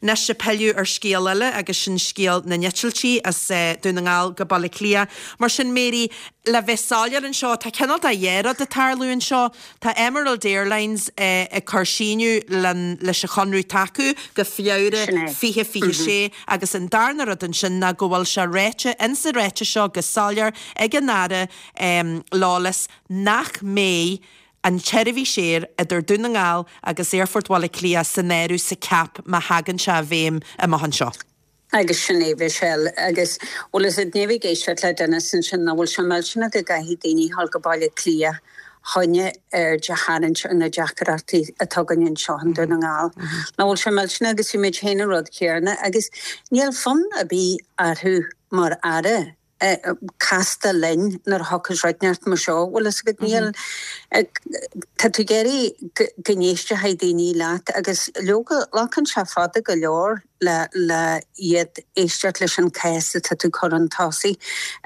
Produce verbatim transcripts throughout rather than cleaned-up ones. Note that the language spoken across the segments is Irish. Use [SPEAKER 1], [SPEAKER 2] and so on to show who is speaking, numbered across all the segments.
[SPEAKER 1] Anois ag pilleadh ar scéal eile agus sin scéal na n-eitiltí as eh, Dún na nGall go Baile Átha Cliath. Mar sin Mary le bheith soiléir anseo tá cineál de dhá rud ag tarlú anseo Tá Emerald Airlines eh, ag cur síneadh leis an chonradh atá acu go Feabhra fiche fiche sé agus an darna rud ansin ná go bhfuil sé ráite insa ráiteas seo go soiléir ag an Aire um, Lawless nach mbeidh an tseirbhís aeir idir Dún na nGall agus Aerfort Bhaile Átha Cliath san áireamh sa cap má thagann sé i bhfeidhm amach anseo.
[SPEAKER 2] Agus sin é Michelle agus bhfuil is ní géisteach le duine sin sin na bhfuil se melsinna go gcaithfidh daoine dul go Baile Átha Cliath chun aird a tharraingt ar na deacrachtaí atá againn anseo i nDún na nGall. Na bhfuil se melsinna agus bhí muid féin an rud céanna agus níl fonn ar bith orthu mar aire. casta linn nuair a thiocfas rud inteacht mar seo bhfuil is go níl Tá tú géirí go n-éistfidh daoine leat agus leoga glacann sé fada go leor le le iad éisteacht leis an cás atá tú chur chun tosaigh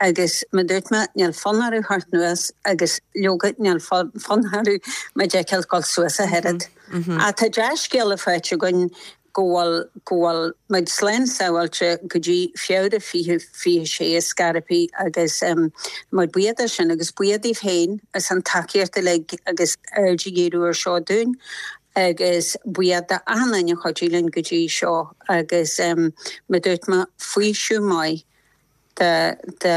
[SPEAKER 2] agus mar dúirt mé níl fonn orthu theacht anuas agus leoga níl fonn orthu muid a fheiceáil dul suas a oiread. A tá dea-scéala faighte againn go bhfuil go bhfuil muid slán sábháilte go dtí Feabhra fiche fiche sé scarpaí agus um, muid buíoch sin agus buíoch díobh féin as an tacaíocht uilig agus aird a dhíriú ar seo dúinn agus buíoch d'achan duine a chuidigh linn go dtí seo agus um, mar dúirt mé faoiseamh maith de de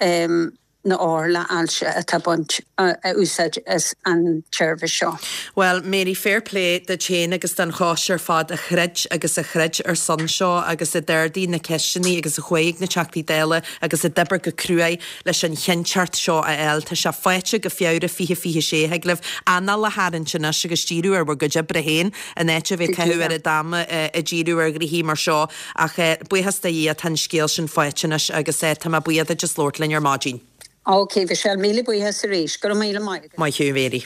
[SPEAKER 2] um, na othair le hailse atá baint a úsáid as an tseirbhís seo.
[SPEAKER 1] Well, Mary fair play duit féin agus don choiste ar fad a throid agus a throid ar son seo agus a d'ardaigh na ceisteanna agus a chuaigh na Teachtaí Dála agus a d'oibrigh go cruaidh leis an chinnteacht seo a fháil Tá sé faighte go Feabhra fiche fiche sé thig libh anáil a tharraingt anois agus díriú ar bhur gcuid oibre féin in áit a bheith caitheamh ar a dama a díriú ar ghnoithí mar seo ach buíochas do Dhia tá an scéal sin faighte anois agus tá mé buíoch duit as labhairt linn ar maidin.
[SPEAKER 2] Ok, Michelle míle buíochas arís, go míle maith.
[SPEAKER 1] Maith thú Mary.